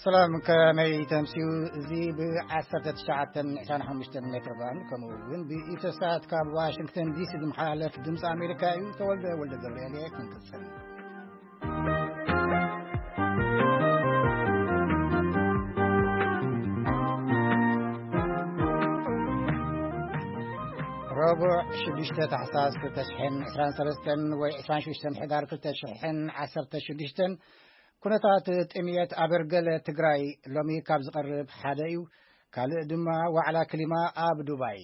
ሰላም፣ ከመይ ተምስዩ? እዚ ብ1925 ሜትር ባንድ ከምኡ እውን ብኢትዮሳት ካብ ዋሽንግተን ዲሲ ዝመሓላለፍ ድምፂ ኣሜሪካ እዩ። ተወልደ ወልደ ገብርኤል እየ። ክንቅፅል። ረቡዕ ሽዱሽተ ታሕሳስ ክልተ ሽሕን ዕስራን ሰለስተን ወይ ዕስራን ሽዱሽተን ሕዳር ክልተ ሽሕን ዓሰርተ ሽዱሽተን ኩነታት ጥምየት ኣብ ገለ ትግራይ ሎሚ ካብ ዝቐርብ ሓደ እዩ። ካልእ ድማ ዋዕላ ክሊማ ኣብ ዱባይ።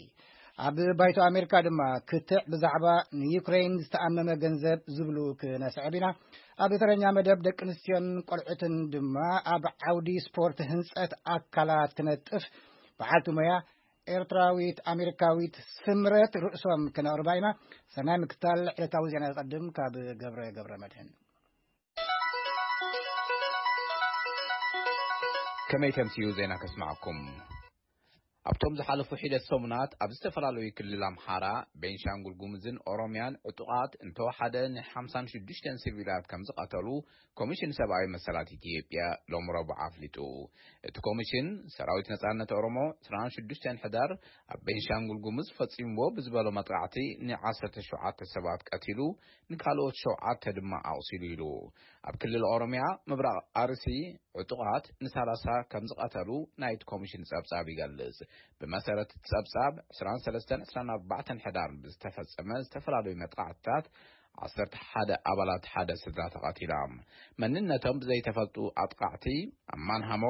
ኣብ ባይቶ ኣሜሪካ ድማ ክትዕ ብዛዕባ ንዩክሬን ዝተኣመመ ገንዘብ ዝብሉ ክነስዕብ ኢና። ኣብ ተረኛ መደብ ደቂ ኣንስትዮን ቆልዑትን ድማ ኣብ ዓውዲ ስፖርት ህንጸት ኣካላት ትነጥፍ በዓልቲ ሞያ ኤርትራዊት ኣሜሪካዊት ስምረት ርእሶም ክነቕርባ ኢና። ሰናይ ምክታል። ዕለታዊ ዜና ይቐድም ካብ ገብረ ገብረ መድህን። ከመይ ተምስዩ ዜና ከስማዕኩም? ኣብቶም ዝሓለፉ ሒደት ሰሙናት ኣብ ዝተፈላለዩ ክልል ኣምሓራ፣ ቤንሻንጉል ጉሙዝን ኦሮምያን ዕጡቓት እንተወሓደ ን56 ሲቪላት ከም ዝቐተሉ ኮሚሽን ሰብኣዊ መሰላት ኢትዮጵያ ሎም ረቡዕ ኣፍሊጡ። እቲ ኮሚሽን፣ ሰራዊት ነጻነት ኦሮሞ ዕስራን ሽዱሽተን ሕዳር ኣብ ቤንሻንጉል ጉሙዝ ፈጺምዎ ብዝበሎ መጥቃዕቲ ን17 ሰባት ቀቲሉ፣ ንካልኦት ሸውዓተ ድማ ኣቑሲሉ ኢሉ። ኣብ ክልል ኦሮምያ ምብራቕ ኣርሲ ዕጡቓት ን30 ከም ዝቐተሉ ናይቲ ኮሚሽን ጸብጻብ ይገልጽ። ብመሰረት እቲ ጸብጻብ፣ ዕስራን ሰለስተን ዕስራን ኣርባዕተን ሕዳር ብዝተፈጸመ ዝተፈላለዩ መጥቃዕትታት ዓሰርተ ሓደ ኣባላት ሓደ ስድራ ተቐቲሎም። መንነቶም ብዘይተፈልጡ ኣጥቃዕቲ፣ ኣብ ማንሃሞ፣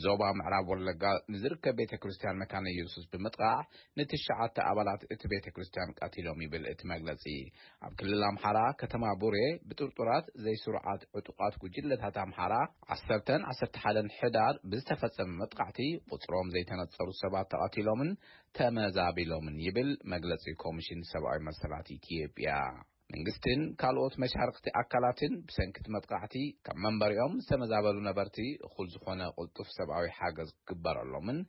ዞባ ምዕራብ ወለጋ ንዝርከብ ቤተ ክርስቲያን መካነ ኢየሱስ ብምጥቃዕ፣ ንትሽዓተ ኣባላት እቲ ቤተ ክርስቲያን ቀቲሎም ይብል እቲ መግለጺ። ኣብ ክልል ኣምሓራ፣ ከተማ ቡሬ፣ ብጥርጡራት ዘይስሩዓት ዕጡቓት ጉጅለታት ኣምሓራ፣ ዓሰርተን ዓሰርተ ሓደን ሕዳር ብዝተፈጸመ መጥቃዕቲ፣ ቁጽሮም ዘይተነጸሩ ሰባት ተቐቲሎምን ተመዛቢሎምን ይብል መግለጺ ኮሚሽን ሰብኣዊ መሰላት ኢትዮጵያ። መንግስትን ካልኦት መሻርክቲ ኣካላትን ብሰንኪ እቲ መጥቃዕቲ ካብ መንበሪኦም ዝተመዛበሉ ነበርቲ እኹል ዝኾነ ቅልጡፍ ሰብኣዊ ሓገዝ ክግበረሎምን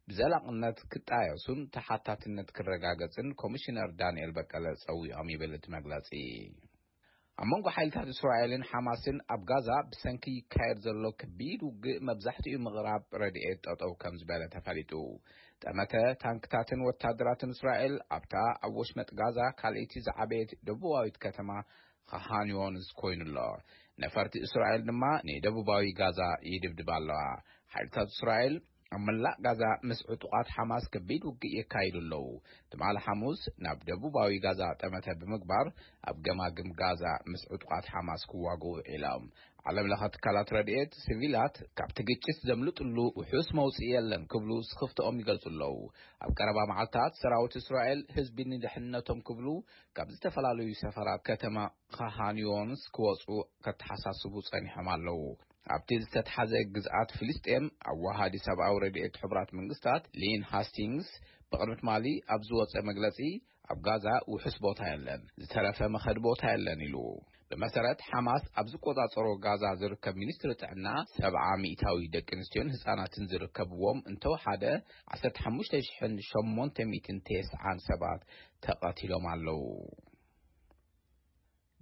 ብዘላቕነት ክጣየሱን ተሓታትነት ክረጋገጽን ኮሚሽነር ዳንኤል በቀለ ጸዊዖም ይብል እቲ መግለጺ። ኣብ መንጎ ሓይልታት እስራኤልን ሓማስን ኣብ ጋዛ ብሰንኪ ይካየድ ዘሎ ከቢድ ውግእ መብዛሕትኡ ምቕራብ ረድኤት ጠጠው ከም ዝበለ ተፈሊጡ። ጠመተ ታንክታትን ወታደራትን እስራኤል ኣብታ ኣብ ወሽመጥ ጋዛ ካልኣይቲ ዝዓበየት ደቡባዊት ከተማ ኻን ዮንስ ኮይኑ ኣሎ። ነፈርቲ እስራኤል ድማ ንደቡባዊ ጋዛ ይድብድባ ኣለዋ። ሓይልታት እስራኤል ኣብ መላእ ጋዛ ምስ ዕጡቓት ሓማስ ከቢድ ውግእ የካይዱ ኣለዉ። ትማሊ ሓሙስ ናብ ደቡባዊ ጋዛ ጠመተ ብምግባር ኣብ ገማግም ጋዛ ምስ ዕጡቓት ሓማስ ክዋግኡ ውዒሎም። ዓለም ለኸ ትካላት ረድኤት፣ ሲቪላት ካብቲ ግጭት ዘምልጥሉ ውሑስ መውጽኢ የለን ክብሉ ስኽፍትኦም ይገልጹ ኣለዉ። ኣብ ቀረባ መዓልታት ሰራዊት እስራኤል ህዝቢ ንድሕንነቶም ክብሉ ካብ ዝተፈላለዩ ሰፈራት ከተማ ኻን ዮንስ ክወጹ ከተሓሳስቡ ጸኒሖም ኣለዉ። ኣብቲ ዝተትሓዘ ግዝኣት ፍልስጤም፣ ኣዋሃዲ ሰብኣዊ ረድኤት ሕቡራት መንግስታት ሊን ሃስቲንግስ ብቕድሚ ትማሊ ኣብ ዝወጸ መግለጺ፣ ኣብ ጋዛ ውሑስ ቦታ የለን፣ ዝተረፈ መኸዲ ቦታ የለን ኢሉ። ብመሰረት ሓማስ ኣብ ዝቆጻጸሮ ጋዛ ዝርከብ ሚኒስትሪ ጥዕና፣ ሰብዓ ሚእታዊ ደቂ ኣንስትዮን ህጻናትን ዝርከብዎም እንተወሓደ ዓሰርተ ሓሙሽተ ሽሕን ሸሞንተ ሚእትን ተስዓን ሰባት ተቐቲሎም ኣለዉ።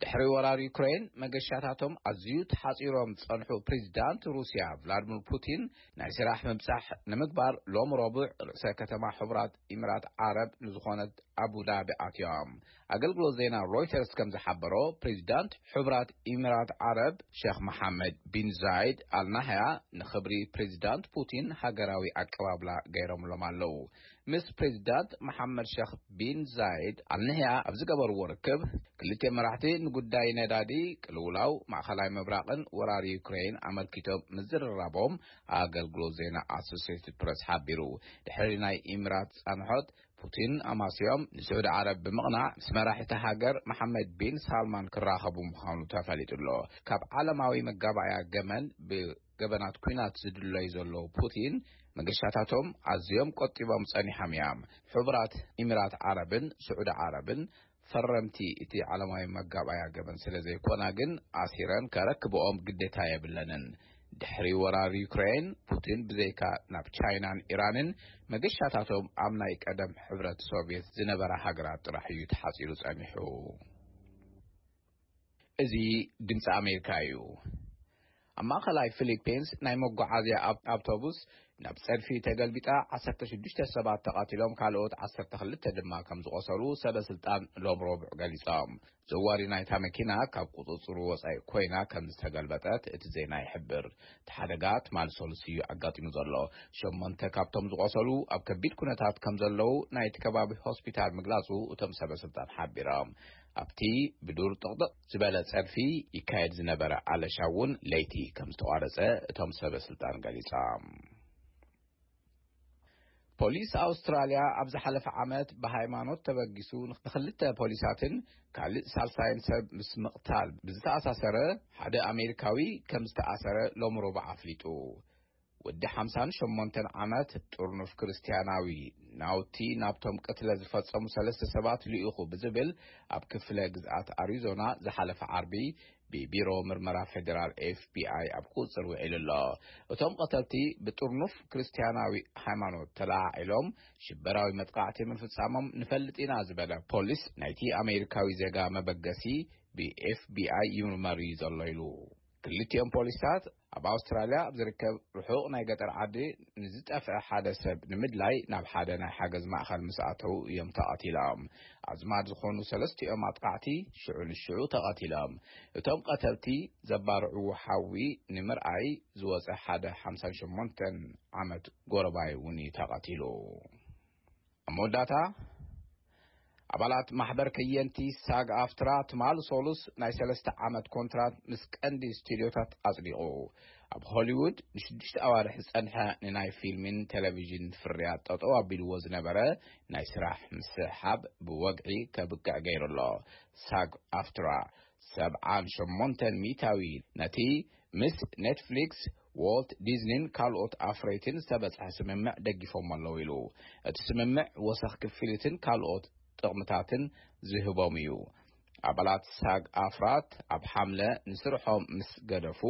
ድሕሪ ወራር ዩክሬን፣ መገሻታቶም ኣዝዩ ተሓጺሮም ዝጸንሑ ፕሬዚዳንት ሩስያ ቭላድሚር ፑቲን፣ ናይ ስራሕ ምብጻሕ ንምግባር ሎም ረቡዕ ርእሰ ከተማ ሕቡራት ኢሚራት ዓረብ ንዝኾነት ኣቡዳቢ ኣትዮም። ኣገልግሎት ዜና ሮይተርስ ከም ዝሓበሮ፣ ፕሬዚዳንት ሕቡራት ኢሚራት ዓረብ ሸኽ መሓመድ ቢን ዛይድ ኣልናህያ ንኽብሪ ፕሬዚዳንት ፑቲን ሃገራዊ ኣቀባብላ ገይሮምሎም ኣለዉ። ምስ ፕሬዚዳንት መሓመድ ሸኽ ቢን ዛይድ ኣልናህያ ኣብ ዝገበርዎ ርክብ፣ ክልቲኦም መራሕቲ ንጉዳይ ነዳዲ፣ ቅልውላው ማእኸላይ ምብራቕን ወራር ዩክሬን ኣመልኪቶም ምዝርራቦም ኣገልግሎት ዜና ኣሶሲየትድ ፕረስ ሓቢሩ። ድሕሪ ናይ ኢሚራት ጻንሖት፣ ፑቲን ኣማስዮም ንስዑዲ ዓረብ ብምቕናዕ፣ ምስ መራሒ እታ ሃገር መሓመድ ቢን ሳልማን ክራኸቡ ምዃኑ ተፈሊጡ ኣሎ። ካብ ዓለማዊ መጋባእያ ገመን ብገበናት ኲናት ዝድለዩ ዘለዉ ፑቲን፣ መገሻታቶም ኣዝዮም ቆጢቦም ጸኒሖም እዮም። ሕቡራት ኢሚራት ዓረብን ስዑዲ ዓረብን ፈረምቲ እቲ ዓለማዊ መጋባእያ ገበን ስለ ዘይኮና ግን፣ ኣሲረን ከረክብኦም ግዴታ የብለንን። ድሕሪ ወራር ዩክሬን፣ ፑቲን ብዘይካ ናብ ቻይናን ኢራንን፣ መገሻታቶም ኣብ ናይ ቀደም ሕብረት ሶቭየት ዝነበራ ሃገራት ጥራሕ እዩ ተሓጺሩ ጸኒሑ። እዚ ድምፂ ኣሜሪካ እዩ። ኣብ ማእኸላይ ፊሊፒንስ ናይ መጓዓዝያ ኣብ-፣ ኣውቶቡስ ናብ ጸድፊ ተገልቢጣ ዓሰርተ ሽዱሽተ ሰባት ተቐቲሎም፣ ካልኦት ዓሰርተ ክልተ ድማ ከም ዝቖሰሉ ሰበ ስልጣን ሎም ረቡዕ ገሊጾም። ዘዋሪ ናይታ መኪና ካብ ቁጽጽሩ ወጻኢ ኮይና ከም ዝተገልበጠት እቲ ዜና ይሕብር። እቲ ሓደጋ ትማሊ ሰሉስ እዩ ኣጋጢሙ ዘሎ። ሸሞንተ ካብቶም ዝቖሰሉ ኣብ ከቢድ ኩነታት ከም ዘለዉ ናይቲ ከባቢ ሆስፒታል ምግላጹ እቶም ሰበ ስልጣን ሓቢሮም። ኣብቲ ብዱር ጥቕጥቕ ዝበለ ጸድፊ ይካየድ ዝነበረ ኣለሻ እውን ለይቲ ከም ዝተቋረጸ እቶም ሰበ ስልጣን ገሊጾም። ፖሊስ ኣውስትራልያ ኣብ ዝሓለፈ ዓመት ብሃይማኖት ተበጊሱ ንኽልተ ፖሊሳትን ካልእ ሳልሳይን ሰብ ምስ ምቕታል ብዝተኣሳሰረ ሓደ ኣሜሪካዊ ከም ዝተኣሰረ ሎም ረቡዕ ኣፍሊጡ። ወዲ ሓምሳን ሸሞንተን ዓመት ጥርኑፍ ክርስትያናዊ ናውቲ ናብቶም ቅትለ ዝፈጸሙ ሰለስተ ሰባት ልኢኹ ብዝብል ኣብ ክፍለ ግዝኣት ኣሪዞና ዝሓለፈ ዓርቢ ብቢሮ ምርመራ ፌደራል ኤፍ ቢ ኣይ ኣብ ቁጽር ውዒሉ ኣሎ። እቶም ቀተልቲ ብጥርኑፍ ክርስትያናዊ ሃይማኖት ተለዓዒሎም ሽበራዊ መጥቃዕቲ ምፍጻሞም ንፈልጥ ኢና ዝበለ ፖሊስ ናይቲ ኣሜሪካዊ ዜጋ መበገሲ ብ ኤፍ ቢ ኣይ ይምርመር እዩ ዘሎ ኢሉ። ክልቲኦም ፖሊስታት ኣብ ኣውስትራልያ ኣብ ዝርከብ ርሑቕ ናይ ገጠር ዓዲ ንዝጠፍአ ሓደ ሰብ ንምድላይ ናብ ሓደ ናይ ሓገዝ ማእኸል ምስ ኣተዉ እዮም ተቐቲሎም። ኣዝማድ ዝኾኑ ሰለስቲኦም ኣጥቃዕቲ ሽዑ ንሽዑ ተቐቲሎም። እቶም ቀተልቲ ዘባርዕዎ ሓዊ ንምርኣይ ዝወጸ ሓደ ሓምሳን ሸሞንተን ዓመት ጎረባይ እውን እዩ ተቐቲሉ። ኣብ መወዳእታ፣ ኣባላት ማሕበር ከየንቲ ሳግ ኣፍትራ ትማል ሶሉስ ናይ ሰለስተ ዓመት ኮንትራት ምስ ቀንዲ ስቱድዮታት ኣጽዲቑ። ኣብ ሆሊውድ ንሽዱሽተ ኣዋርሕ ዝጸንሐ ንናይ ፊልምን ቴሌቪዥን ፍርያት ጠጠው ኣቢልዎ ዝነበረ ናይ ስራሕ ምስሓብ ብወግዒ ከብቅዕ ገይሩ ኣሎ። ሳግ ኣፍትራ ሰብዓን ሸሞንተን ሚእታዊ ነቲ ምስ ኔትፍሊክስ፣ ዎልት ዲዝኒን ካልኦት ኣፍረይትን ዝተበጽሐ ስምምዕ ደጊፎም ኣለዉ ኢሉ። እቲ ስምምዕ ወሰኽ ክፍሊትን ካልኦት ጥቕምታትን ዝህቦም እዩ። ኣባላት ሳግ ኣፍራት ኣብ ሓምለ ንስርሖም ምስ ገደፉ፣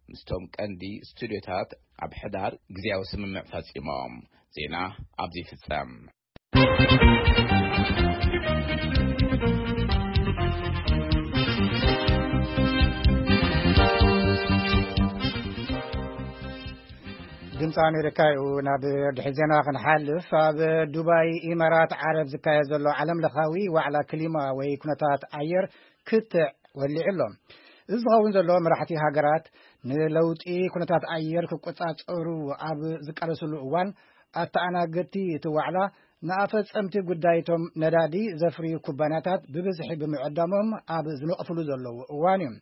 ምስቶም ቀንዲ ስቱድዮታት ኣብ ሕዳር ግዜያዊ ስምምዕ ፈጺሞም። ዜና ኣብዚ ይፍጸም። ድምፂ ኣሜሪካ እዩ። ናብ ድሕሪ ዜና ክንሓልፍ፣ ኣብ ዱባይ ኢማራት ዓረብ ዝካየድ ዘሎ ዓለም ለኻዊ ዋዕላ ክሊማ ወይ ኩነታት ኣየር ክትዕ ወሊዑ ኣሎ። እዚ ዝኸውን ዘሎ መራሕቲ ሃገራት ንለውጢ ኩነታት ኣየር ክቆጻጸሩ ኣብ ዝቃለስሉ እዋን፣ ኣተኣናገድቲ እቲ ዋዕላ ንኣፈጸምቲ ጉዳይቶም ነዳዲ ዘፍርዩ ኩባንያታት ብብዝሒ ብምዕዳሞም ኣብ ዝነቕፍሉ ዘለዉ እዋን እዩ።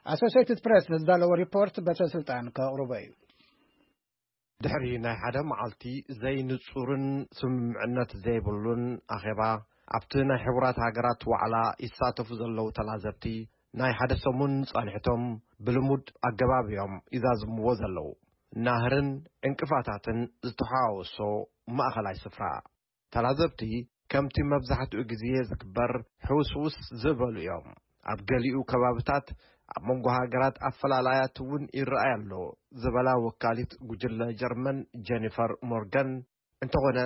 ኣሶሲየትድ ፕሬስ ንዝዳለዎ ሪፖርት በትረ ስልጣን ከቕርቦ እዩ። ድሕሪ ናይ ሓደ መዓልቲ ዘይንጹርን ስምምዕነት ዘይብሉን ኣኼባ፣ ኣብቲ ናይ ሕቡራት ሃገራት ዋዕላ ይሳተፉ ዘለዉ ተላዘብቲ፣ ናይ ሓደ ሰሙን ጻንሕቶም ብልሙድ ኣገባብ እዮም ይዛዝምዎ ዘለዉ። ናህርን ዕንቅፋታትን ዝተሓዋወሶ ማእኸላይ ስፍራ። ተላዘብቲ ከምቲ መብዛሕትኡ ግዜ ዝግበር ሕውስውስ ዝበሉ እዮም። ኣብ ገሊኡ ከባብታት ኣብ መንጎ ሃገራት ኣፈላላያት እውን ይረኣይ ኣሎ ዝበላ ወካሊት ጉጅለ ጀርመን ጀኒፈር ሞርጋን፣ እንተኾነ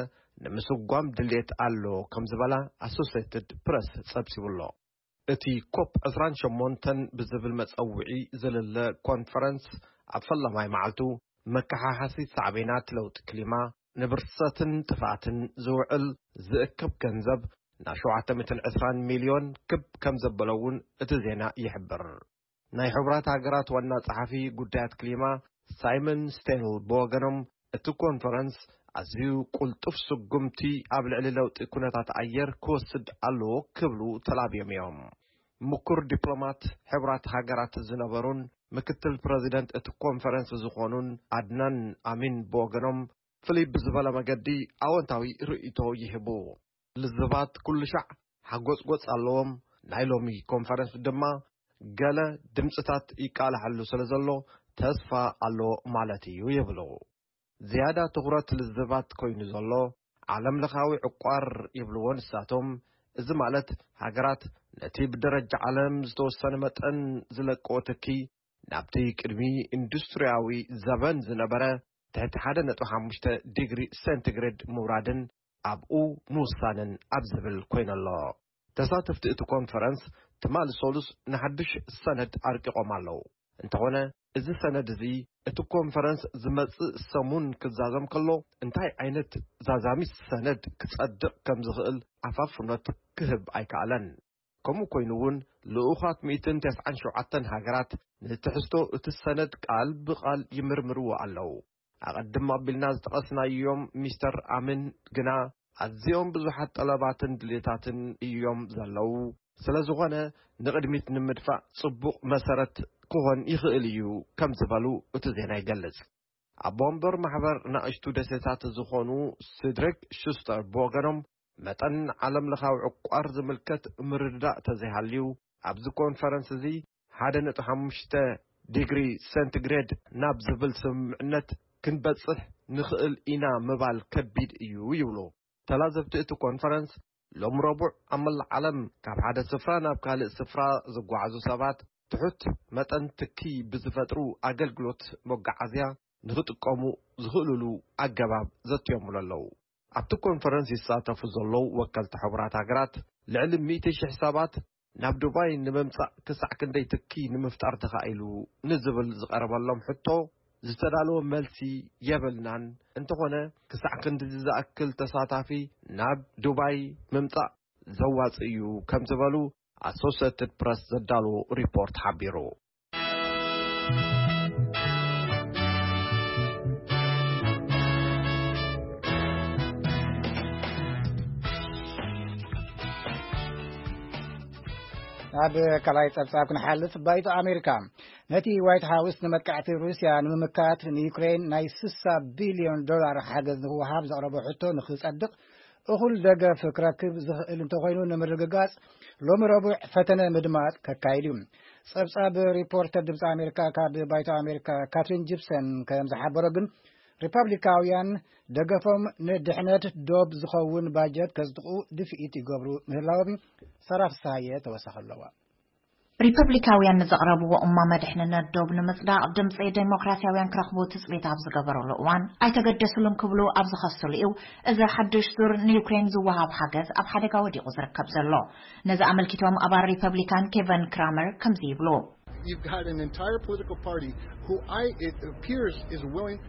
ንምስጓም ድልየት ኣሎ ከም ዝበላ ኣሶሴትድ ፕረስ ጸብጺቡ ኣሎ። እቲ ኮፕ ዕስራን ሸሞንተን ብዝብል መጸውዒ ዝልለ ኮንፈረንስ ኣብ ፈላማይ መዓልቱ መከሓሓሲ ሳዕቤናት ለውጢ ክሊማ፣ ንብርሰትን ጥፍኣትን ዝውዕል ዝእከብ ገንዘብ ናብ ሸውዓተ ሚእትን ዕስራን ሚልዮን ክብ ከም ዘበለ እውን እቲ ዜና ይሕብር። ናይ ሕቡራት ሃገራት ዋና ጸሓፊ ጉዳያት ክሊማ ሳይመን ስቴንል ብወገኖም፣ እቲ ኮንፈረንስ ኣዝዩ ቁልጡፍ ስጉምቲ ኣብ ልዕሊ ለውጢ ኩነታት ኣየር ክወስድ ኣለዎ ክብሉ ተላብዮም እዮም። ምኩር ዲፕሎማት ሕቡራት ሃገራት ዝነበሩን ምክትል ፕረዚደንት እቲ ኮንፈረንስ ዝኾኑን ኣድናን ኣሚን ብወገኖም፣ ፍልይ ብዝበለ መገዲ ኣወንታዊ ርእይቶ ይህቡ። ልዝባት ኩሉ ሻዕ ሓጎጽጎጽ ኣለዎም። ናይ ሎሚ ኮንፈረንስ ድማ ገለ ድምጽታት ይቃላሐሉ ስለ ዘሎ ተስፋ ኣሎ ማለት እዩ ይብሉ። ዝያዳ ትኹረት ልዝባት ኮይኑ ዘሎ ዓለም ለኻዊ ዕቋር ይብልዎ ንሳቶም። እዚ ማለት ሃገራት ነቲ ብደረጃ ዓለም ዝተወሰነ መጠን ዝለቅኦ ትኪ ናብቲ ቅድሚ ኢንዱስትሪያዊ ዘበን ዝነበረ ትሕቲ ሓደ ነጥቢ ሓሙሽተ ዲግሪ ሴንቲግሬድ ምውራድን ኣብኡ ምውሳንን ኣብ ዝብል ኮይነሎ። ተሳተፍቲ እቲ ኮንፈረንስ ትማሊ ሰሉስ ንሓድሽ ሰነድ ኣርቂቖም ኣለዉ። እንተኾነ እዚ ሰነድ እዚ እቲ ኮንፈረንስ ዝመጽእ ሰሙን ክዛዘም ከሎ እንታይ ዓይነት ዛዛሚ ሰነድ ክጸድቕ ከም ዝኽእል ኣፋፍኖት ክህብ ኣይከኣለን። ከምኡ ኮይኑ እውን ልኡኻት ሚእትን ተስዓን ሸውዓተን ሃገራት ንትሕዝቶ እቲ ሰነድ ቃል ብቓል ይምርምርዎ ኣለዉ። ኣቐድም ኣቢልና ዝጠቐስናዮም ሚስተር ኣምን ግና ኣዝዮም ብዙሓት ጠለባትን ድሌታትን እዮም ዘለዉ። ስለ ዝኾነ ንቕድሚት ንምድፋእ ጽቡቕ መሰረት ክኾን ይኽእል እዩ ከም ዝበሉ እቲ ዜና ይገልጽ። ኣብ ወንበር ማሕበር ናእሽቱ ደሴታት ዝኾኑ ሲድሪክ ሹስተር ብወገኖም መጠን ዓለም ለኻዊ ዕቋር ዝምልከት ምርድዳእ ተዘይሃልዩ ኣብዚ ኮንፈረንስ እዚ ሓደ ነጥቢ ሓሙሽተ ዲግሪ ሴንቲግሬድ ናብ ዝብል ስምምዕነት ክንበጽሕ ንኽእል ኢና ምባል ከቢድ እዩ ይብሉ። ተላዘብቲ እቲ ኮንፈረንስ ሎም ረቡዕ ኣብ መላእ ዓለም ካብ ሓደ ስፍራ ናብ ካልእ ስፍራ ዝጓዓዙ ሰባት ትሑት መጠን ትኪ ብዝፈጥሩ ኣገልግሎት መጓዓዝያ ንኽጥቀሙ ዝኽእልሉ ኣገባብ ዘትዮምሉ ኣለዉ። ኣብቲ ኮንፈረንስ ይሳተፉ ዘለዉ ወከልቲ ሕቡራት ሃገራት ልዕሊ ሚእቲ ሽሕ ሰባት ናብ ዱባይ ንምምጻእ ክሳዕ ክንደይ ትኪ ንምፍጣር ተኻኢሉ ንዝብል ዝቐረበሎም ሕቶ ዝተዳለወ መልሲ የብልናን። እንተኾነ ክሳዕ ክንድዚ ዝኣክል ተሳታፊ ናብ ዱባይ ምምጻእ ዘዋጽእ እዩ ከም ዝበሉ ኣሶሴትድ ፕረስ ዘዳለዎ ሪፖርት ሓቢሩ። ናብ ካልኣይ ጸብጻብ ክንሓልፍ፣ ባይቶ ኣሜሪካ ነቲ ዋይት ሃውስ ንመጥቃዕቲ ሩስያ ንምምካት ንዩክሬን ናይ ስሳ ቢልዮን ዶላር ሓገዝ ንክወሃብ ዘቕረቦ ሕቶ ንክጸድቕ እኹል ደገፍ ክረክብ ዝኽእል እንተኾይኑ ንምርግጋጽ ሎሚ ረቡዕ ፈተነ ምድማጽ ከካይድ እዩ። ጸብጻብ ሪፖርተር ድምፂ ኣሜሪካ ካብ ባይቶ ኣሜሪካ ካትሪን ጂፕሰን ከም ዝሓበሮ ግን ሪፐብሊካውያን ደገፎም ንድሕነት ዶብ ዝኸውን ባጀት ከጽድቑ ድፍኢት ይገብሩ ምህላዎም ሰራፍ ሳየ ተወሳኺ ኣለዋ። ሪፐብሊካውያን ንዘቕረብዎ እማመ ድሕንነት ዶብ ንምጽዳቕ ድምጺ ዴሞክራሲያውያን ክረኽቡ ትጽቢት ኣብ ዝገበረሉ እዋን ኣይተገደስሉን ክብሉ ኣብ ዝኸስሉ እዩ። እዚ ሓድሽ ዙር ንዩክሬን ዝወሃብ ሓገዝ ኣብ ሓደጋ ወዲቑ ዝርከብ ዘሎ። ነዚ ኣመልኪቶም ኣባል ሪፐብሊካን ኬቨን ክራመር ከምዚ ይብሉ። You've got an entire political party who I, it appears, is willing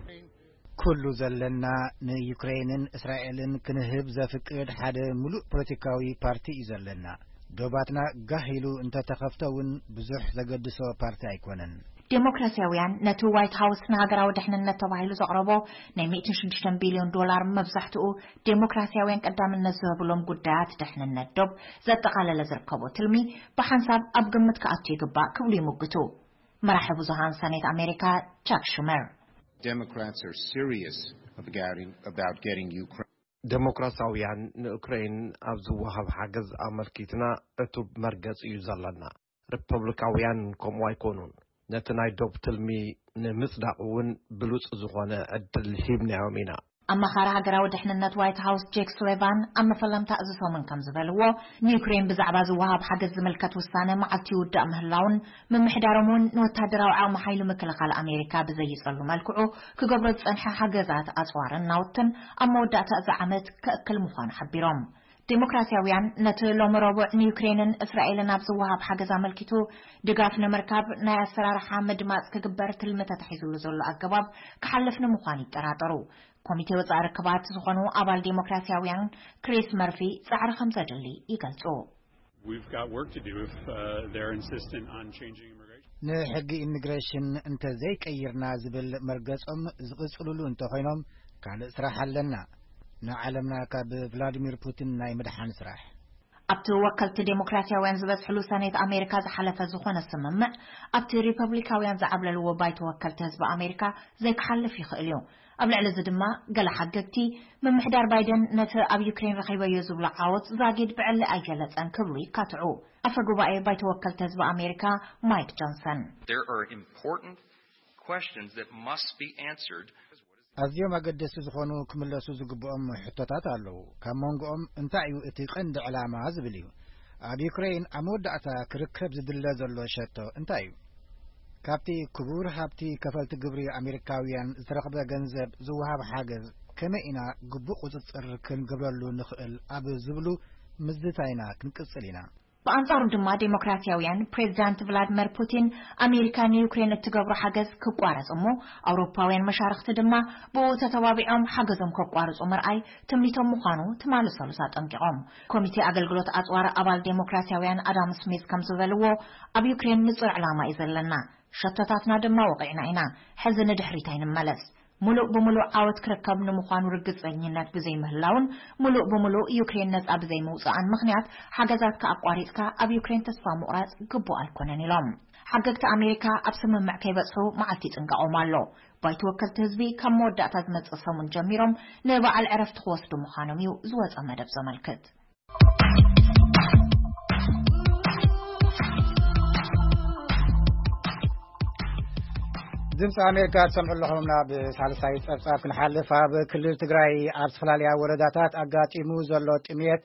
ኩሉ ዘለና ንዩክሬንን እስራኤልን ክንህብ ዘፍቅድ ሓደ ምሉእ ፖለቲካዊ ፓርቲ እዩ ዘለና። ዶባትና ጋህ ኢሉ እንተተኸፍተ እውን ብዙሕ ዘገድሶ ፓርቲ ኣይኮነን። ዴሞክራሲያውያን ነቲ ዋይት ሃውስ ንሃገራዊ ድሕንነት ተባሂሉ ዘቕረቦ ናይ ሚእትን ሽዱሽተን ቢልዮን ዶላር መብዛሕትኡ ዴሞክራሲያውያን ቀዳምነት ዝህብሎም ጉዳያት ድሕንነት ዶብ ዘጠቓለለ ዝርከቦ ትልሚ ብሓንሳብ ኣብ ግምት ክኣቱ ይግባእ ክብሉ ይምግቱ። መራሒ ብዙሃን ሰኔት ኣሜሪካ ቻክ ሹመር Democrats are serious about getting, about getting Ukraine. ዴሞክራሲያውያን ንኡክሬን ኣብ ዝወሃብ ሓገዝ ኣመልኪትና ዕቱብ መርገጺ እዩ ዘለና። ሪፐብሊካውያን ከምኡ ኣይኮኑን። ነቲ ናይ ዶብ ትልሚ ንምጽዳቕ እውን ብሉጽ ዝኾነ ዕድል ሂብናዮም ኢና። ኣማኻሪ ሃገራዊ ድሕንነት ዋይት ሃውስ ጄክ ሱሊቫን ኣብ መፈለምታ እዚ ሰሙን ከም ዝበልዎ ንዩክሬን ብዛዕባ ዝወሃብ ሓገዝ ዝምልከት ውሳነ መዓልቲ ይውዳእ ምህላውን ምምሕዳሮም እውን ንወታደራዊ ዓቕሚ ሓይሊ ምክልኻል ኣሜሪካ ብዘይጸሉ መልክዑ ክገብሮ ዝጸንሐ ሓገዛት ኣጽዋርን ናውትን ኣብ መወዳእታ እዚ ዓመት ከእክል ምዃኑ ሓቢሮም። ዴሞክራሲያውያን ነቲ ሎሚ ረቡዕ ንዩክሬንን እስራኤልን ኣብ ዝወሃብ ሓገዝ ኣመልኪቱ ድጋፍ ንምርካብ ናይ ኣሰራርሓ ምድማፅ ክግበር ትልሚ ተታሒዝሉ ዘሎ ኣገባብ ክሓልፍ ንምዃኑ ይጠራጠሩ። ኮሚቴ ወፃኢ ርክባት ዝኾኑ ኣባል ዴሞክራሲያውያን ክሪስ መርፊ ፃዕሪ ከም ዘድሊ ይገልፁ። We've got work to do if uh, they're insistent on changing immigration. ንሕጊ ኢሚግሬሽን እንተዘይቀይርና ዝብል መርገጾም ዝቕጽልሉ እንተኾይኖም ካልእ ስራሕ ኣለና። ንዓለምና ካብ ቭላድሚር ፑቲን ናይ ምድሓን ስራሕ። ኣብቲ ወከልቲ ዴሞክራሲያውያን ዝበዝሕሉ ሰኔት ኣሜሪካ ዝሓለፈ ዝኾነ ስምምዕ ኣብቲ ሪፐብሊካውያን ዝዓብለልዎ ባይቶ ወከልቲ ህዝቢ ኣሜሪካ ዘይክሓልፍ ይኽእል እዩ። ኣብ ልዕሊ እዚ ድማ ገለ ሓገግቲ ምምሕዳር ባይደን ነቲ ኣብ ዩክሬን ረኺበዮ ዝብሎ ዓወት ዛጊድ ብዕሊ ኣይገለጸን ክብሉ ይካትዑ። ኣፈ ጉባኤ ባይቶ ወከልቲ ህዝቢ ኣሜሪካ ማይክ ጆንሰን There are important questions that must be answered. ኣዝዮም ኣገደስቲ ዝኾኑ ክምለሱ ዝግብኦም ሕቶታት ኣለዉ። ካብ መንጎኦም እንታይ እዩ እቲ ቀንዲ ዕላማ ዝብል እዩ። ኣብ ዩክሬን ኣብ መወዳእታ ክርከብ ዝድለ ዘሎ ሸቶ እንታይ እዩ? ካብቲ ክቡር ሃብቲ ከፈልቲ ግብሪ ኣሜሪካውያን ዝተረኽበ ገንዘብ ዝወሃብ ሓገዝ ከመይ ኢና ግቡእ ቁጽጽር ክንገብረሉ ንኽእል ኣብ ዝብሉ ምዝታይና ክንቅጽል ኢና። ብኣንጻሩ ድማ ዴሞክራሲያውያን ፕሬዚዳንት ቭላድመር ፑቲን ኣሜሪካ ንዩክሬን እትገብሮ ሓገዝ ክቋረጽ እሞ ኣውሮፓውያን መሻርኽቲ ድማ ብኡ ተተባቢዖም ሓገዞም ከቋርጹ ምርኣይ ትምኒቶም ምዃኑ ትማሊ ሰሉስ ኣጠንቂቖም። ኮሚቴ ኣገልግሎት ኣጽዋር ኣባል ዴሞክራሲያውያን ኣዳም ስሚዝ ከም ዝበልዎ ኣብ ዩክሬን ንጹር ዕላማ እዩ ዘለና። ሸቶታትና ድማ ወቒዕና ኢና። ሕዚ ንድሕሪት ኣይንመለስ። ምሉእ ብምሉእ ዓወት ክርከብ ንምዃኑ ርግጸኝነት ብዘይምህላውን ምሉእ ብምሉእ ዩክሬን ነጻ ብዘይምውጽኣን ምኽንያት ሓገዛትካ ኣቋሪጽካ ኣብ ዩክሬን ተስፋ ምቑራጽ ግቡእ ኣይኮነን ኢሎም። ሓገግቲ ኣሜሪካ ኣብ ስምምዕ ከይበጽሑ መዓልቲ ይጽንቀቖም ኣሎ። ባይቶ ወከልቲ ህዝቢ ካብ መወዳእታ ዝመጽእ ሰሙን ጀሚሮም ንበዓል ዕረፍቲ ክወስዱ ምዃኖም እዩ ዝወጸ መደብ ዘመልክት። ድምፂ ኣሜሪካ ትሰምዑ ኣለኹም። ናብ ሳልሳይ ፀብፃብ ክንሓልፍ፣ ኣብ ክልል ትግራይ ኣብ ዝተፈላለያ ወረዳታት ኣጋጢሙ ዘሎ ጥሜት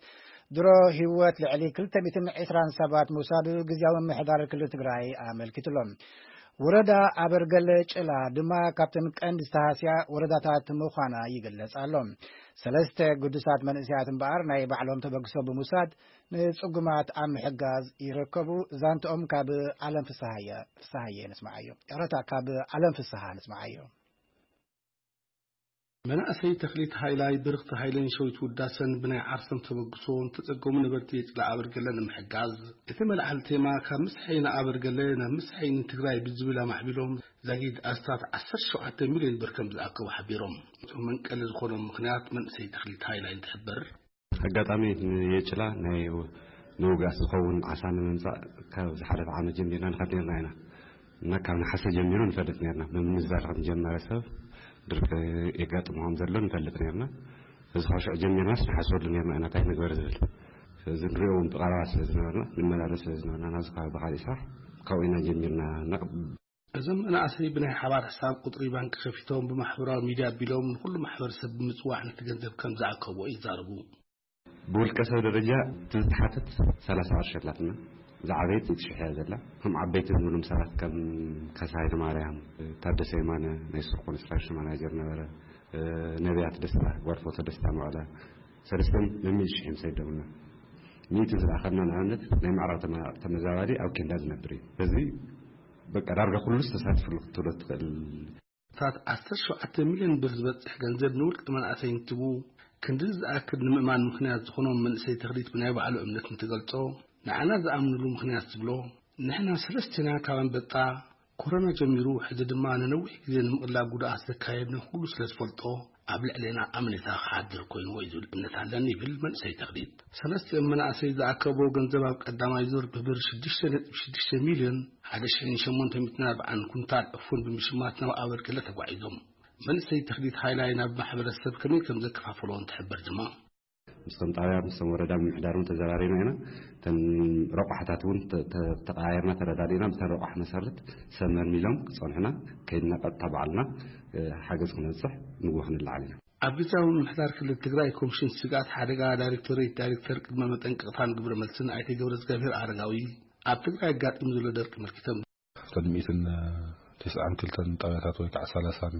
ድሮ ህይወት ልዕሊ ክልተ ሚእትን ዕስራን ሰባት ምውሳዱ ግዝያዊ ምምሕዳር ክልል ትግራይ ኣመልኪቱ ኣሎ። ወረዳ ኣበርገለ ጭላ ድማ ካብተን ቀንዲ ዝተሃስያ ወረዳታት ምዃና ይግለጽ ኣሎ። ሰለስተ ግዱሳት መንእሰያት እምበኣር ናይ ባዕሎም ተበግሶ ብምውሳድ ንጽጉማት ኣብ ምሕጋዝ ይርከቡ። ዛንትኦም ካብ ኣለም ፍስሃየ፣ ፍስሃየ ነስምዓዮ። ይቕረታ፣ ካብ ኣለም ፍስሃ ነስምዓዮ። መናእሰይ ተኽሊት ሃይላይ፣ ብርኽቲ ሃይለን ሸዊት ውዳሰን ብናይ ዓርሶም ተበግሶ ንተጸገሙ ነበርቲ የጭላ ኣበርገለ ንምሕጋዝ፣ እቲ መልዓሊ ቴማ ካብ ምስሐይ ንኣበርገለ ናብ ምስሐይ ንትግራይ ብዝብል ኣማዕቢሎም ዛጊድ ኣስታት ዓሰርተ ሸውዓተ ሚልዮን ብር ከም ዝኣከቡ ሓቢሮም። እቶም መንቀሊ ዝኾኖም ምኽንያት መንእሰይ ተኽሊት ሃይላይ እንትሕበር፣ ኣጋጣሚ ንየጭላ ናይ ንውጋስ ዝኸውን ዓሳ ንምምጻእ ካብ ዝሓለፈ ዓመት ጀሚርና ንኸድ ነርና ኢና። እና ካብ ነሓሰ ጀሚሩ ንፈልጥ ነርና። ብምንዛር ከም ጀመረ ሰብ ድርቂ የጋጥሞ ከም ዘሎ ንፈልጥ ነርና። እዚ ካብ ሽዑ ጀሚርናስ ንሓስበሉ ነርና ኢና እንታይ ንግበር ዝብል። ስለዚ ንሪኦ እውን ብቐረባ ስለ ዝነበርና፣ ንመላለስ ስለ ዝነበርና ናብዚ ከባቢ ብኻሊእ ስራሕ ካብኡ ኢና ጀሚርና። እና እዞም መናእሰይ ብናይ ሓባር ሕሳብ ቁጽሪ ባንክ ከፊቶም ብማሕበራዊ ሚድያ ኣቢሎም ንኹሉ ማሕበረሰብ ብምጽዋዕ ነቲ ገንዘብ ከም ዝኣከብዎ ይዛረቡ። ብውልቀ ሰብ ደረጃ እቲ ዝተሓተት ሰላሳ ቅርሺ ኣላትና። ዝዓበየት ሚእቲ ሽሕ እያ ዘላ። ከም ዓበይቲ ዝብሎም ሰባት ከም ካሳ ሃይለማርያም፣ ታደሰ የማነ፣ ናይ ሱር ኮንስትራክሽን ማናጀር ነበረ፣ ነቢያት ደስታ፣ ጓል ፎቶ ደስታ መቐለ፣ ሰለስተን ነሚእቲ ሽሕ እዮም ሰዲዶምና። ሚእቲ ዝለኣኸልና ንኣብነት ናይ ምዕራብ ተመ-፣ ተመዛባሊ ኣብ ኬንዳ ዝነብር እዩ። በዚ በቃ ዳርጋ ኩሉስ ተሳቲፉሉ ክትብሎ ትኽእል። ታት ዓሰርተ ሸውዓተ ሚልዮን ብር ዝበጽሕ ገንዘብ ንውልቀ መናእሰይ እንትቡ፣ ክንድዚ ዝኣክል ንምእማን ምኽንያት ዝኾኖም መንእሰይ ተኽሊት ብናይ ባዕሉ እምነት እንትገልጾ፣ ንዓና ዝኣምንሉ ምኽንያት ዝብሎ፣ ንሕና ሰለስቴና ካብ ኣንበጣ ኮሮና ጀሚሩ ሕዚ ድማ ንነዊሕ ግዜ ንምቕላብ ጉድኣት ዘካየድና ኩሉ ስለ ዝፈልጦ፣ ኣብ ልዕሌና ኣምኔታ ክሓድር ኮይንዎ እዩ ዝብል እምነት ኣለኒ ይብል መንእሰይ ተኽሊት። ሰለስቲኦም መናእሰይ ዝኣከብዎ ገንዘብ ኣብ ቀዳማይ ዙር ብብር ሽዱሽተ ነጥቢ ሽዱሽተ ሚልዮን ሓደ ሽሕን ሸሞንተ ሚእትን ኣርባዓን ኩንታል ዕፉን ብምሽማት ናብ ኣበርገለ ተጓዒዞም። መንእሰይ ተኽሊት ሃይላይ ናብ ማሕበረሰብ ከመይ ከም ዘከፋፈሎ እንትሕበር ድማ፣ ምስቶም ጣብያ፣ ምስቶም ወረዳ ምምሕዳር እውን ተዘራሪብና ኢና። እተን ረቋሕታት እውን ተ-፣ ተ-፣ ተቀያየርና፣ ተረዳዲእና። ብተን ረቋሕ መሰረት ሰብ መልሚሎም ክጸንሑና ከይድና ቀጥታ ባዕልና፣ እ፣ ሓገዝ ክነብጽሕ ንግሆ ክንለዓል ኢና። ኣብ ግዝያዊ ምምሕዳር ክልል ትግራይ ኮሚሽን ስግኣት ሓደጋ ዳይሬክቶሬት ዳይሬክተር ቅድመ መጠንቀቕታን ግብረ መልስን ኣይተ ገብረዝጋብሔር ኣረጋዊ፣ ኣብ ትግራይ ኣጋጢሙ ዘሎ ደርቂ ኣመልኪቶም፣ ቅድሚ ሚእትን ተስዓን ክልተን ጣብያታት ወይ ከዓ ሰላሳን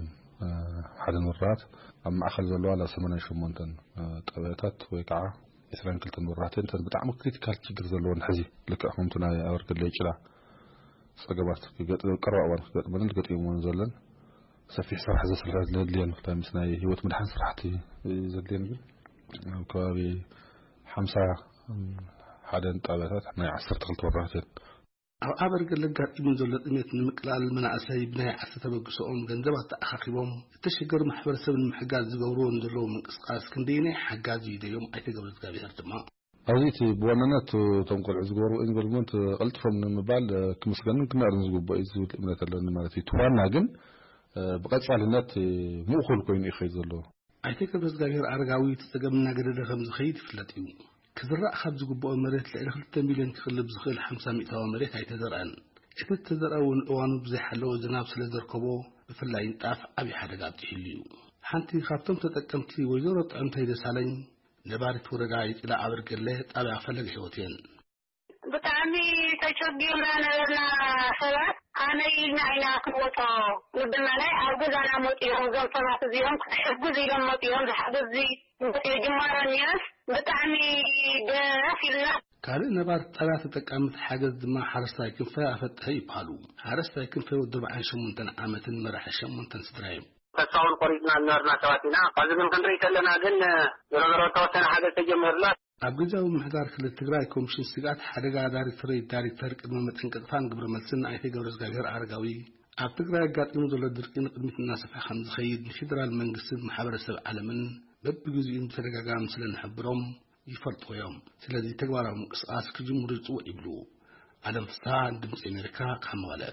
ሓደን ወረዳት፣ ኣብ ማእኸል ዘለዋ ላ ሰማንያን ሸሞንተን ጣብያታት ወይ ከዓ ዕስራን ክልተን ወረዳት እየን። እተን ብጣዕሚ ክሪቲካል ችግር ዘለወን ሕዚ ልክዕ ከምቲ ናይ ኣበርገለ ጭላ ጸገማት ክገጥ-፣ ቀረባ እዋን ክገጥመንን ገጢመን ዘለን ሰፊሕ ስራሕ ዘስርሐ ዘድልየን፣ ብፍላይ ምስ ናይ ህይወት ምድሓን ስራሕቲ ዘድልየን ግን ኣብ ከባቢ ሓምሳ ሓደን ጣብያታት ናይ ዓሰርተ ክልተ ወረዳት እየን። ኣብ ኣበርገለ ኣጋጢሙ ዘሎ ጥሜት ንምቅላል መናእሰይ ብናይ ዓርሰ ተበግሶኦም ገንዘብ ኣተኣኻኺቦም እተሸገሩ ማሕበረሰብ ንምሕጋዝ ዝገብርዎ ንዘለዉ ምንቅስቃስ ክንደየናይ ሓጋዚ እዩ ደዮም ኣይተ ገብረእግዚኣብሄር ድማ። ኣብዚ እቲ ብዋናነት እቶም ቆልዑ ዝገበርዎ ኢንቮልቭመንት ቀልጢፎም ንምባል ክምስገንን ክነኣርን ዝግብኦ እዩ ዝብል እምነት ኣለኒ ማለት እዩ። እቲ ዋና ግን ብቐጻልነት ምእኹል ኮይኑ እዩ ክኸይድ ዘለዎ። ኣይተ ገብረእግዚኣብሄር ኣረጋዊ እቲ ጸገም እናገደደ ከም ዝኸይድ ይፍለጥ እዩ። ክዝራእ ካብ ዝግብኦ መሬት ልዕሊ ክልተ ሚልዮን ክቕልብ ዝኽእል ሓምሳ ሚእታዊ መሬት ኣይተዘርአን። እቲ እተዘርአ እውን እዋኑ ብዘይሓለወ ዝናብ ስለ ዘርከቦ ብፍላይ ንጣፍ ዓብዪ ሓደጋ ኣብፂሕሉ እዩ። ሓንቲ ካብቶም ተጠቀምቲ ወይዘሮ ጥዕምተይ ደሳለኝ ነባሪት ወረዳ ይፅላ ኣበርገለ ጣብያ ፈለገ ህይወት እየን። ብጣዕሚ ተጨጊምና ነበርና ሰባት። ኣነ ኢልና ኢና ክንወጦ ንብልና ናይ ኣብ ገዛና መፂኦም እዞም ሰባት እዚኦም ክትሕግዝ ኢሎም መፂኦም ዝሓገዝ ጅማሮ እኒኦስ ብጣዕሚ ደስ ኢልና። ካልእ ነባር ጣብያ ተጠቃሚ እቲ ሓገዝ ድማ ሓረስታይ ክንፈ ኣፈጠሀ ይበሃሉ። ሓረስታይ ክንፈ ወዲ ኣርባዓን ሸሞንተን ዓመትን መራሒ ሸሞንተን ስድራ እዮም። ተስፋውን ቆሪፅና ዝነበርና ሰባት ኢና። ኣብዚ ግን ክንርኢ ከለና ግን ዞሮ ዞሮ ተወሰነ ሓገዝ ተጀሚሩና። ኣብ ግዝያዊ ምምሕዳር ክልል ትግራይ ኮሚሽን ስግኣት ሓደጋ ዳይሬክቶሬት ዳይሬክተር ቅድመ መጠንቀቕታን ግብረ መልስን ኣይተ ገብረዝጋብሄር ኣረጋዊ፣ ኣብ ትግራይ ኣጋጢሙ ዘሎ ድርቂ ንቕድሚት እናሰፍሐ ከም ዝኸይድ ንፌደራል መንግስትን ማሕበረሰብ ዓለምን በብግዜኡን ብተደጋጋሚ ስለ ንሕብሮም ይፈልጥዎ እዮም። ስለዚ ተግባራዊ ምንቅስቓስ ክጅምሩ ይፅውዕ ይብሉ። ኣለም ፍስሃ፣ ድምፂ ኣሜሪካ ካብ መቐለ።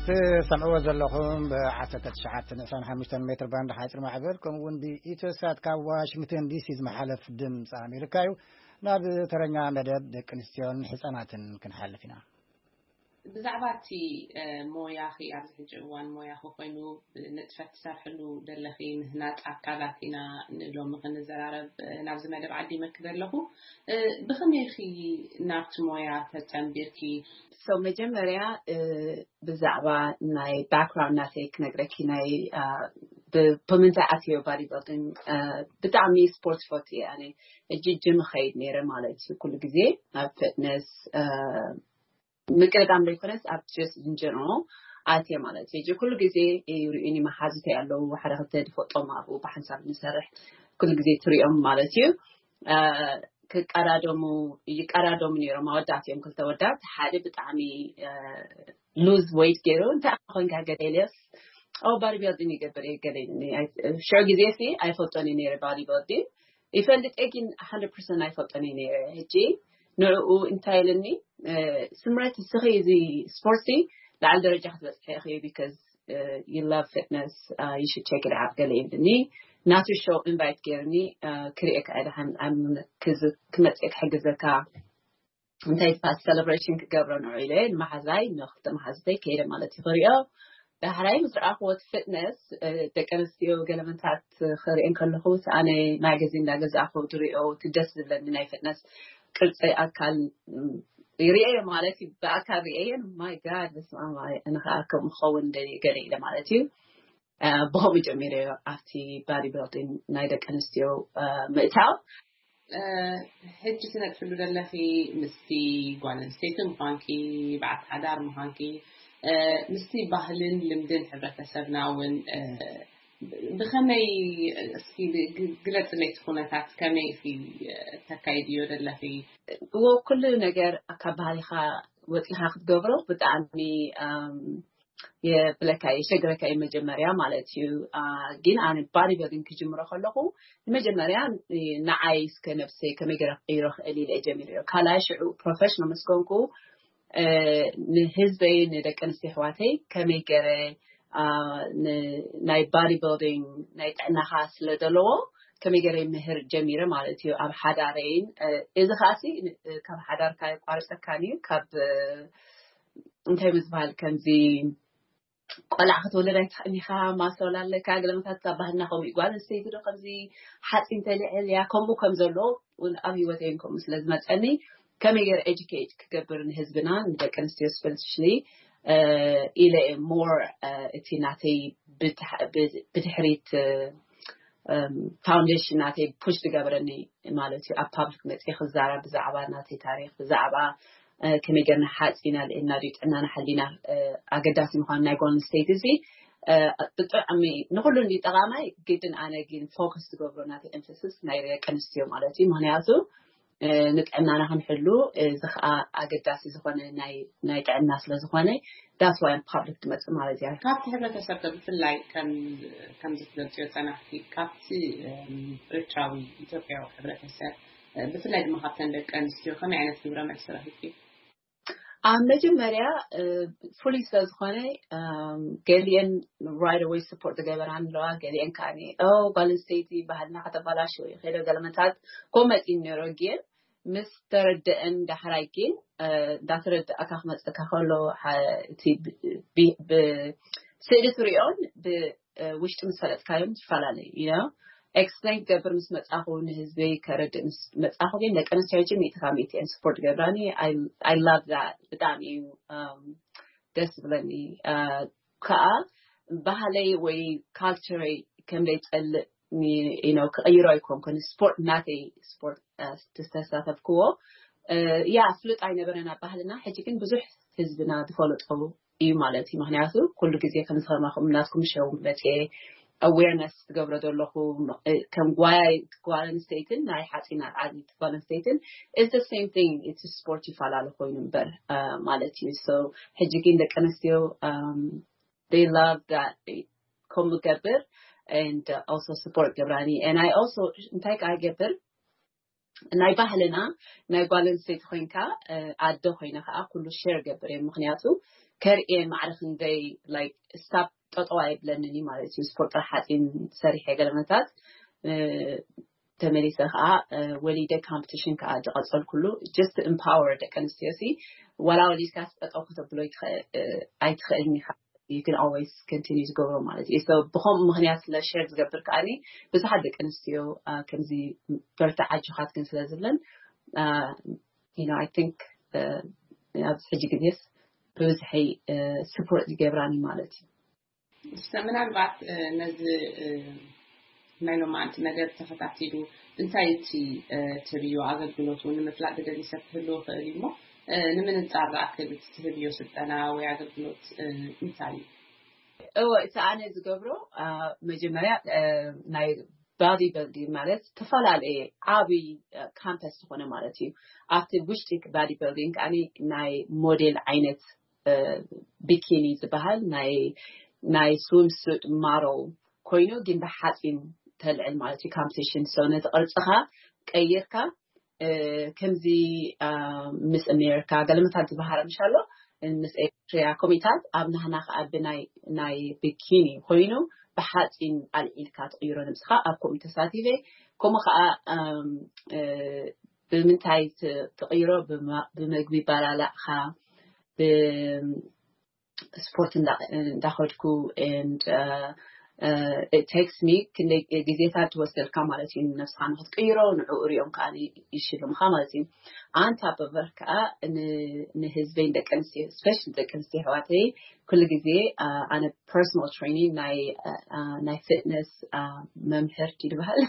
ትሰምዕዎ ዘለኹም ብ19 ንእስራን ሓሙሽተን ሜትር ባንድ ሓፂር ማዕበል፣ ከምኡ እውን ብኢትዮሳት ካብ ዋሽንግተን ዲሲ ዝመሓለፍ ድምፂ ኣሜሪካ እዩ። ናብ ተረኛ መደብ ደቂ ኣንስትዮን ህፃናትን ክንሓልፍ ኢና። ብዛዕባ እቲ ሞያኺ፣ ኣብዚ ሕጂ እዋን ሞያኺ ኮይኑ ንጥፈት ትሰርሕሉ ደለኺ፣ ምህናፅ ኣካላት ኢና ንሎሚ ክንዘራረብ ናብዚ መደብ ዓዲመኪ ዘለኹ። ብኸመይ ኢኺ ናብቲ ሞያ ተፀንቢርኪ? So መጀመርያ ብዛዕባ ናይ ባክግራውንድ ናተይ ክነግረኪ፣ ናይ ብምንታይ ኣትዮ ባዲ ቢልዲንግ። ብጣዕሚ ስፖርት ፈቱ እየ ኣነ። እጂ ጅም ኸይድ ነይረ ማለት እዩ። ኩሉ ግዜ ኣብ ፊትነስ ምቅዳም ዘይኮነስ ኣብ ጀስት ኢን ጀነራል ኣትየ ማለት እዩ። ኩሉ ግዜ ይርእዩኒ መሓዙተይ ኣለዉ፣ ሓደ ክልተ ዝፈልጦም ኣብኡ ብሓንሳብ ንሰርሕ ኩሉ ግዜ ትሪኦም ማለት እዩ። ክቀዳደሙ ይቀዳደሙ ነይሮም። ኣወዳት እዮም፣ ክልተ ወዳት። ሓደ ብጣዕሚ ሉዝ ዌይት ገይሩ፣ እንታይ ኮንካ ገለ ኢለስ፣ ኦ ባዲ ቢልዲንግ ይገብር እየ ገለ ኢሉኒ። ሽዑ ግዜ ሲ ኣይፈልጦን እዩ ነይረ ባዲ ቢልዲንግ። ይፈልጥ እየ ግን ሓንድረድ ፐርሰንት ኣይፈልጦን እዩ ነይረ። ሕጂ ንዕኡ እንታይ ኢልኒ፣ ስምረት እስኺ እዚ ስፖርትሲ ላዕሊ ደረጃ ክትበፅሒ ኢኺ፣ because you love fitness, you should check it out ገለ ኢልኒ። ናቱ ሾው ኢንቫይት ገይርኒ ክርእየካ እየ ደሓን ክመፅእ ክሕግዘካ፣ እንታይ ዝበሃል ሴሌብሬሽን ክገብሮ ንዑ ኢለ ንመሓዛይ፣ ንክልተ መሓዙተይ ከይደ ማለት እዩ ክሪኦ። ዳሕራይ ምስ ረኣኽዎ እቲ ፊትነስ፣ ደቂ ኣንስትዮ ገለመንታት ክሪኤን ከለኹ፣ እቲ ኣነ ማጋዚን እንዳገዛእኹ ዝሪኦ እቲ ደስ ዝብለኒ ናይ ፊትነስ ቅርፂ ኣካል ይሪኤዮ ማለት እዩ። ብኣካል ሪኤየን፣ ማይ ጋድ፣ በስመ ኣብ፣ ኣነ ከዓ ከምኡ ክኸውን ደልየ ገለ ኢለ ማለት እዩ። ብኸምኡ ጀሚረዮ ኣብቲ ባዲ ቢልዲንግ ናይ ደቂ ኣንስትዮ ምእታው። ሕጂ ትነጥፍሉ ዘለኺ ምስቲ ጓል ኣንስተይቲ ምዃንኪ፣ በዓልቲ ሓዳር ምዃንኪ፣ ምስቲ ባህልን ልምድን ሕብረተሰብና እውን ብኸመይ፣ እስኪ ግለፅለይ እቲ ኩነታት፣ ከመይ ኢኺ ተካይድዮ ዘለኺ? እዎ፣ ኩሉ ነገር ካብ ባህልኻ ወፂኻ ክትገብሮ ብጣዕሚ የብለካ፣ የሸግረካ እዩ መጀመርያ ማለት እዩ። ግን ኣነ ባዲ ቢልዲንግ ክጅምሮ ከለኹ ንመጀመርያ ንዓይ እስከ ነብሰይ ከመይ ገይረ ክቅይሮ ክእል ኢለ እየ ጀሚረዮ። ካልኣይ ሽዑ ፕሮፌሽናል ምስ ኮንኩ ንህዝበይ፣ ንደቂ ኣንስትዮ ኣሕዋተይ ከመይ ገይረ ናይ ባዲ ቢልዲንግ ናይ ጥዕናኻ ስለ ዘለዎ ከመይ ገይረ ምህር ጀሚረ ማለት እዩ። ኣብ ሓዳረይን እዚ ከዓሲ ካብ ሓዳርካ የቋርፀካን እዩ። ካብ እንታይ ምዝበሃል ከምዚ ቆልዓ ክትወልድ ኣይትኽእልኻ፣ ማሰል ኣለካ፣ ገለመታት ካብ ባህልና ከምኡ እዩ። ጓል ኣንስተይቲ ዶ ከምዚ ሓፂን ተልዕል እያ፣ ከምኡ ከም ዘሎ እውን ኣብ ህይወተይን ከምኡ ስለ ዝመፀኒ ከመይ ገይረ ኤጁኬት ክገብር ንህዝብና ንደቂ ኣንስትዮ ስፔሲፊካሊ ኢለ ሞር እቲ ናተይ ብድሕሪት ፋውንዴሽን ናተይ ፑሽ ዝገበረኒ ማለት እዩ። ኣብ ፓብሊክ መፅየ ክዛረብ ብዛዕባ ናተይ ታሪክ፣ ብዛዕባ ከመይ ገርና ሓፂና ልእና ድዩ ጥዕናና ሓሊና ኣገዳሲ ምኳኑ ናይ ጓል ኣንስተይቲ እዚ ብጣዕሚ ንኩሉ እንዲ ጠቃማይ ግድን ኣነ ግን ፎከስ ዝገብሮ ናተይ ኤምፈሲስ ናይ ደቂ ኣንስትዮ ማለት እዩ። ምክንያቱ ንጥዕናና ክንሕሉ እዚ ከዓ ኣገዳሲ ዝኮነ ናይ ጥዕና ስለዝኮነ that's why ፓብሊክ ትመፅእ ማለት እያ። ካብቲ ሕብረተሰብ ከ ብፍላይ ከም ዝትገልፅዮ ፀናሕቲ ካብቲ ኤርትራዊ ኢትዮጵያዊ ሕብረተሰብ ብፍላይ ድማ ካብተን ደቂ ኣንስትዮ ከመይ ዓይነት ግብረ መልሲ ረኪብኪ? ኣብ መጀመርያ ፍሉይ ስለ ዝኾነ ገሊአን right away support ዝገበራን ኣለዋ፣ ገሊአን ከዓ ኦ ጓል ኣንስተይቲ ባህልና ከተባላሽው እዩ ከይደ ገለመታት ኮመፂ ነይሮ ግን ምስ ተረደአን ዳሕራይ ግን እንዳተረዳእካ ክመፀካ ከሎ እቲ ብስእሊ ትሪኦን ብውሽጢ ምስ ፈለጥካዮም ትፈላለዩ እዩ። ኤክስፕሌን ክገብር ምስ መፃኹ ንህዝበይ ከረድእ ምስ መፃኹ ግን ደቂ ኣንስትዮ ሕጂ ሚእቲ ካብ ሚእቲ እየን ስፖርት ገብራኒ። I love that ብጣዕሚ እዩ ደስ ዝብለኒ። ከዓ ባህለይ ወይ ካልቸረይ ከም ዘይፀልእ ክቕይሮ ኣይኮንኩን። ስፖርት ናተይ፣ ስፖርት ዝተሳተፍክዎ፣ ያ ፍሉጥ ኣይነበረን ኣብ ባህልና። ሕጂ ግን ብዙሕ ህዝብና ዝፈለጦ እዩ ማለት እዩ። ምክንያቱ ኩሉ ግዜ ከም ዝኸማኹም ናትኩም ሸው መፅኤ ኣዌርነስ ትገብሮ ዘለኹ፣ ከም ጓል ኣንስተይትን ናይ ሓፂን ኣልዓል ጓል ኣንስተይትን is the same thing። እቲ ስፖርት ይፈላለ ኮይኑ እምበር ማለት እዩ። So ሕጂ ግን ደቂ ኣንስትዮ they love that ከምኡ ገብር and also support ገብራኒ። And I also እንታይ ከዓ ይገብር፣ ናይ ባህልና፣ ናይ ጓል ኣንስተይቲ ኮይንካ ኣደ ኮይነ ከዓ ኩሉ ሼር ገብር እየ። ምክንያቱ ከርእየን ማዕረ ክንደይ like stop ጠጠው ኣይብለንን እዩ ማለት እዩ። ስፖርት ጥራሕ ሓፂን ሰሪሐ ገለመታት ተመሊሰ ከዓ ወሊደ ካምፕቲሽን ከዓ ዝቐፀልኩሉ just empower ደቂ ኣንስትዮ ሲ ዋላ ወሊድካ ጠጠው ከተብሎ ኣይትኽእልን ኢኻ። You can always continue ዝገብሮ ማለት እዩ። So ብከምኡ ምክንያት ስለ ሸር ዝገብር ከዓኒ ብዙሓት ደቂ ኣንስትዮ ከምዚ በርትዕ ኣጆኻትክን ስለ ዝብለን you know I think ኣብዚ ሕጂ ግዜስ ብብዝሒ ስፖርት ዝገብራኒ ማለት እዩ። እስከ ምናልባት ነዚ ናይ ሎማዓንቲ መደብ ተኸታቲሉ እንታይ እቲ ትህብዮ ኣገልግሎት እውን ንምፍላጥ ዝደሊ ሰብ ክህልዎ ይኽእል እዩ እሞ ንምንፃር ዝኣክል እቲ ትህብዮ ስልጠና ወይ ኣገልግሎት እንታይ እዩ? እወ፣ እቲ ኣነ ዝገብሮ መጀመርያ ናይ ባዲ ቢልዲንግ ማለት ዝተፈላለየ ዓብይ ካምፓስ ዝኾነ ማለት እዩ። ኣብቲ ውሽጢ ባዲ ቢልዲንግ ከዓኒ ናይ ሞዴል ዓይነት ቢኪኒ ዝበሃል ናይ ናይ ስዊም ሱት ማደል ኮይኑ ግን ብሓፂን ተልዕል ማለት እዩ። ካምፒቲሽን so ነቲ ቅርፅኻ ቀይርካ ከምዚ ምስ ኣሜሪካ ገለመታት ዝበሃረ ምሻሎ ምስ ኤርትሪያ ኮሚታት ኣብ ናህና ከዓ ብናይ ናይ ቢኪኒ ኮይኑ ብሓፂን ኣልዒልካ ትቕይሮ ንብስኻ ኣብ ኮሚቴ ተሳቲፈ ከምኡ ከዓ ብምንታይ ትቕይሮ ብምግቢ ባላላዕካ ስፖርት እንዳኸድኩ and it takes me ክንደይ ግዜታት ትወስደልካ ማለት እዩ። ነብስኻ ንክትቅይሮ ንዕኡ ሪኦም ከዓ ይሽልምካ ማለት እዩ። ኣንታ በበር ከዓ ንህዝበይ ደቂ ኣንስትዮ ስፔሻሊ ደቂ ኣንስትዮ ኣሕዋተይ ኩሉ ግዜ ኣነ personal training ናይ ናይ ፊትነስ መምህር ድዩ ዝበሃል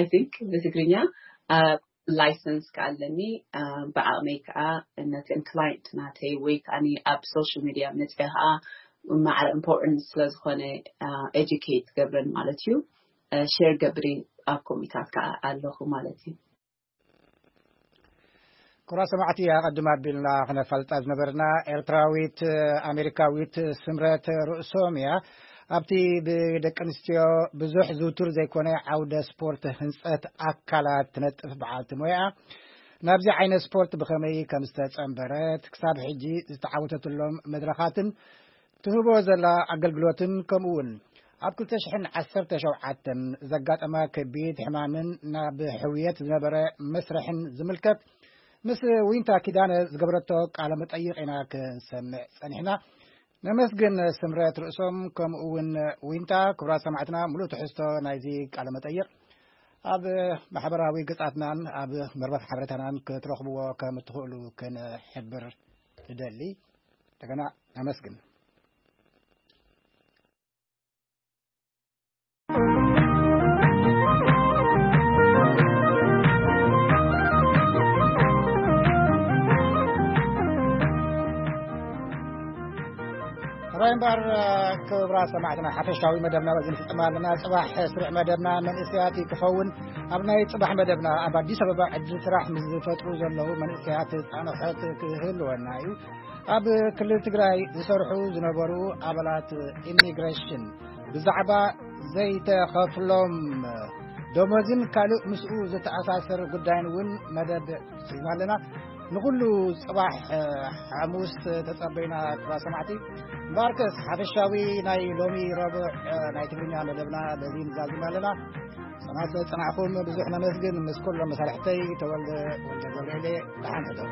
I think ብትግርኛ ላይሰንስ ከዓ ኣለኒ። ብዓቕመይ ከዓ ነተን ክላይንት ናተይ ወይ ከዓ ኣብ ሶሻል ሚድያ መፅአ ከዓ ማዕረ ኢምፖርታንት ስለዝኾነ ኤጁኬት ገብረን ማለት እዩ። ሸር ገብሪ ኣብ ኮሚታት ከዓ ኣለኹ ማለት እዩ። ክቡራት ሰማዕቲ ኣቐድም ኣቢልና ክነፋልጣ ዝነበርና ኤርትራዊት ኣሜሪካዊት ስምረት ርእሶም እያ። ኣብቲ ብደቂ ኣንስትዮ ብዙሕ ዝውቱር ዘይኮነ ዓውደ ስፖርት ህንፀት ኣካላት ትነጥፍ በዓልቲ ሞያ ናብዚ ዓይነት ስፖርት ብኸመይ ከም ዝተጸንበረት ክሳብ ሕጂ ዝተዓወተትሎም መድረኻትን ትህቦ ዘላ ኣገልግሎትን ከምኡ እውን ኣብ ክልተ ሽሕን ዓሰርተ ሸውዓተን ዘጋጠማ ከቢድ ሕማምን ናብ ሕውየት ዝነበረ መስርሕን ዝምልከት ምስ ዊንታ ኪዳነ ዝገበረቶ ቃለ መጠይቕ ኢና ክንሰምዕ ጸኒሕና። ነመስግን ስምረት ርእሶም ከምኡ እውን ዊንታ። ክቡራት ሰማዕትና ሙሉእ ትሕዝቶ ናይዚ ቃለ መጠይቕ ኣብ ማሕበራዊ ገጻትናን ኣብ መርበት ሓበሬታናን ክትረኽብዎ ከም እትኽእሉ ክንሕብር ትደሊ። እንደገና ነመስግን። ራይ እምበር ክብራ ሰማዕትና ሓፈሻዊ መደብና በዚ ንፍጽም ኣለና። ጽባሕ ስሩዕ መደብና መንእሰያት ክኸውን ኣብ ናይ ጽባሕ መደብና ኣብ ኣዲስ ኣበባ ዕድል ስራሕ ምስ ዝፈጥሩ ዘለዉ መንእሰያት ጻንሖት ክህልወና እዩ። ኣብ ክልል ትግራይ ዝሰርሑ ዝነበሩ ኣባላት ኢሚግሬሽን ብዛዕባ ዘይተኸፍሎም ደሞዝን ካልእ ምስኡ ዝተኣሳሰር ጉዳይን እውን መደብ ሒዝና ኣለና። ንኹሉ ጽባሕ ሓሙስ ተጸበዩና ክቡራት ሰማዕቲ። እምበኣርከስ ሓፈሻዊ ናይ ሎሚ ረቡዕ ናይ ትግርኛ መደብና በዚ ንዛዝም ኣለና። ሰማዕቲ ጸናሕኩም ብዙሕ ነመስግን። ምስ ኩሎም መሳርሕተይ ተወልደ ወልደ ገብርኤል ደሓን ሕደሩ።